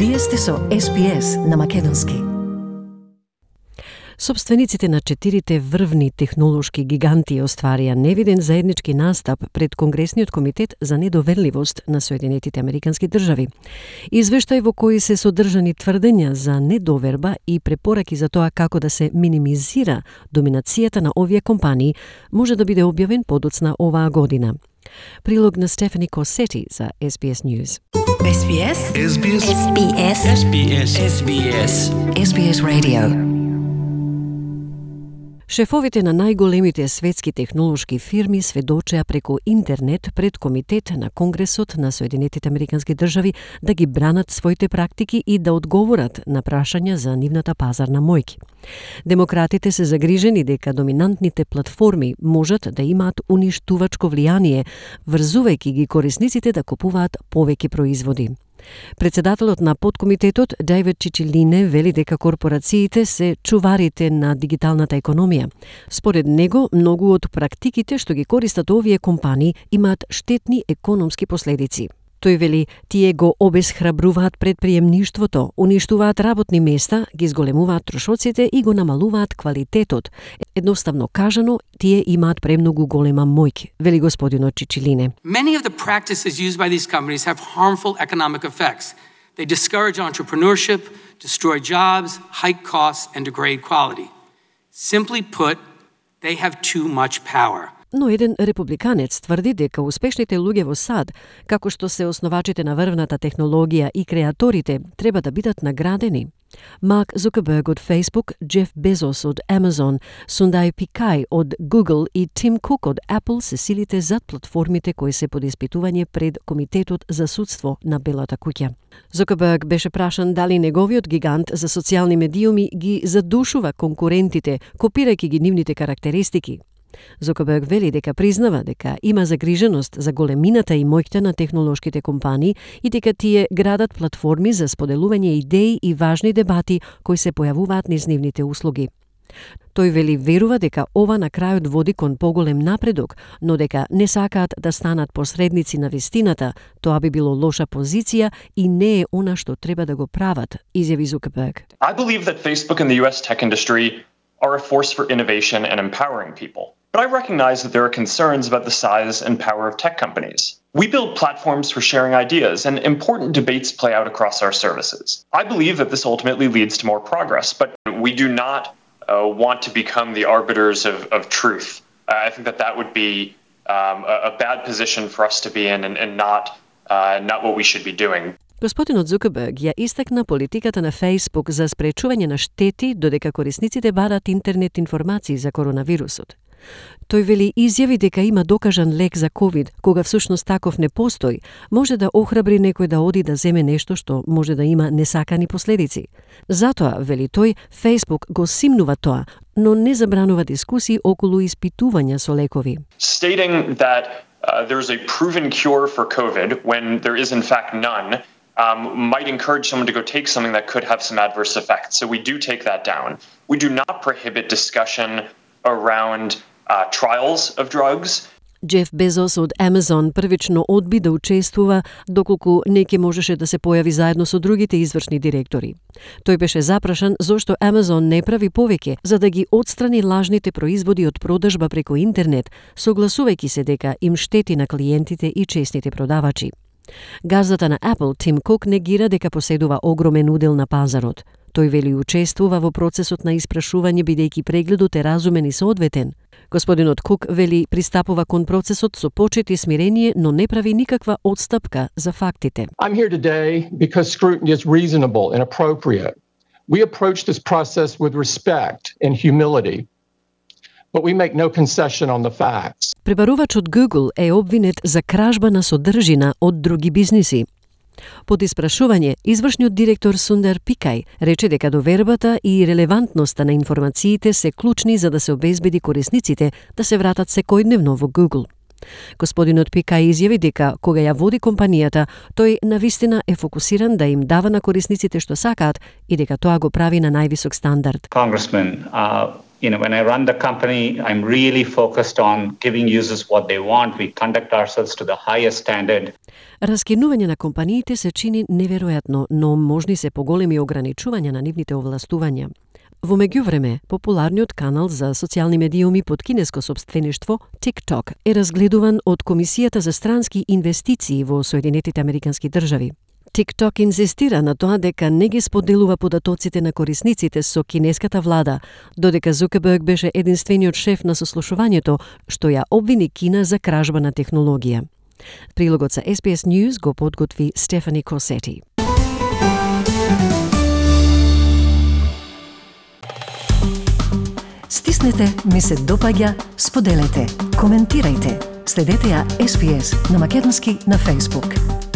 Вие сте со SPS на македонски. Собствениците на 4 врвни технолошки гиганти остварија невиден заеднички настап пред Конгресниот комитет за недоверливост на Соединетите Американски држави. Извештај во кој се содржани тврдења за недоверба и препораки за тоа како да се минимизира доминацијата на овие компании може да биде објавен подоцна оваа година. Прилог на Стефани Косети за SBS News. SBS SBS SBS SBS SBS SBS Radio. Шефовите на најголемите светски технолошки фирми сведочеа преку интернет пред Комитет на Конгресот на Соединетите Американски држави да ги бранат своите практики и да одговорат на прашања за нивната пазарна моќ. Демократите се загрижени дека доминантните платформи можат да имаат уништувачко влијание, врзувајќи ги корисниците да купуваат повеќе производи. Председателот на подкомитетот Дейвид Чичилине вели дека корпорациите се чуварите на дигиталната економија. Според него, многу од практиките што ги користат овие компании имаат штетни економски последици. Тој вели, тие го обесхрабруваат предприемништвото, уништуваат работни места, ги зголемуваат трошоците и го намалуваат квалитетот. Едноставно кажано, тие имаат премногу голема моќ, вели господинот Чичилине. Many of the practices used by these companies have harmful economic effects. They discourage entrepreneurship, destroy jobs, hike costs, and degrade quality. Simply put, they have too much power. Но еден републиканец тврди дека успешните луѓе во САД, како што се основачите на врвната технологија и креаторите, треба да бидат наградени. Марк Зукерберг од Facebook, Джеф Безос од Amazon, Сундај Пикај од Google и Тим Кук од Apple се силите зад платформите кои се под испитување пред Комитетот за судство на Белата куќа. Зукерберг беше прашан дали неговиот гигант за социјални медиуми ги задушува конкурентите, копирајќи ги нивните карактеристики. Зукерберг вели дека признава дека има загриженост за големината и моќта на технолошките компании и дека тие градат платформи за споделување идеи и важни дебати кои се појавуваат низ нивните услуги. Тој вели верува дека ова на крајот води кон поголем напредок, но дека не сакаат да станат посредници на вистината, тоа би било лоша позиција и не е она што треба да го прават, изјави Зукерберг. I believe that Facebook and the US tech industry are a force for innovation and empowering people. But I recognize that there are concerns about the size and power of tech companies. We build platforms for sharing ideas, and important debates play out across our services. I believe that this ultimately leads to more progress, but we do not want to become the arbiters of truth. I think that would be a bad position for us to be in and not what we should be doing. Господинот Зукерберг ја истакна политиката на Facebook за спречување на штети додека корисниците барат интернет информации за коронавирусот. Тој вели изјави дека има докажан лек за COVID, кога всушност таков не постои, може да охрабри некој да оди да земе нешто што може да има несакани последици. Затоа, вели тој, Facebook го симнува тоа, но не забранува дискусии околу испитувања со лекови. Stating that there's a proven cure for COVID when there is in fact none might encourage someone to go take something that could have some adverse effects. So we do take that down. We do not prohibit discussion around trials of drugs. Джеф Безос од Amazon првично одби да учествува доколку не ќе можеше да се појави заедно со другите извршни директори. Тој беше запрашан зошто Amazon не прави повеќе за да ги отстрани лажните производи од продажба преку интернет, согласувајќи се дека им штети на клиентите и честните продавачи. Газдата на Apple, Тим Кук, негира дека поседува огромен удел на пазарот. Тој вели учествува во процесот на испрашување бидејќи прегледот е разумен и соодветен. Господинот Кук вели пристапува кон процесот со почет и смирение, но не прави никаква отстапка за фактите. I'm here today because scrutiny is reasonable and appropriate. We approach this process with respect and humility, but we make no concession on the facts. Пребарувачот Google е обвинет за кражба на содржина од други бизниси. Под испрашување, извршниот директор Сундај Пикај рече дека довербата и релевантноста на информациите се клучни за да се обезбеди корисниците да се вратат секојдневно во Google. Господинот Пикај изјави дека кога ја води компанијата, тој навистина е фокусиран да им дава на корисниците што сакаат и дека тоа го прави на највисок стандард. Congressman, When I run the company, I'm really focused on giving users what they want. We conduct ourselves to the highest standard. Раскинување на компаниите се чини неверојатно, но можни се поголеми ограничувања на нивните овластувања. Во меѓувреме, популарниот канал за социјални медиуми под кинеско сопствеништво, TikTok, е разгледуван од Комисијата за странски инвестиции во Соединетите Американски држави. TikTok инзистира на тоа дека не ги споделува податоците на корисниците со кинеската влада, додека Зукерберг беше единствениот шеф на сослушувањето што ја обвини Кина за кражба на технологија. Прилогот за SBS News го подготви Стефани Косети. Стиснете, ми се допаѓа, споделете, коментирајте. Следете ја SBS на македонски на Facebook.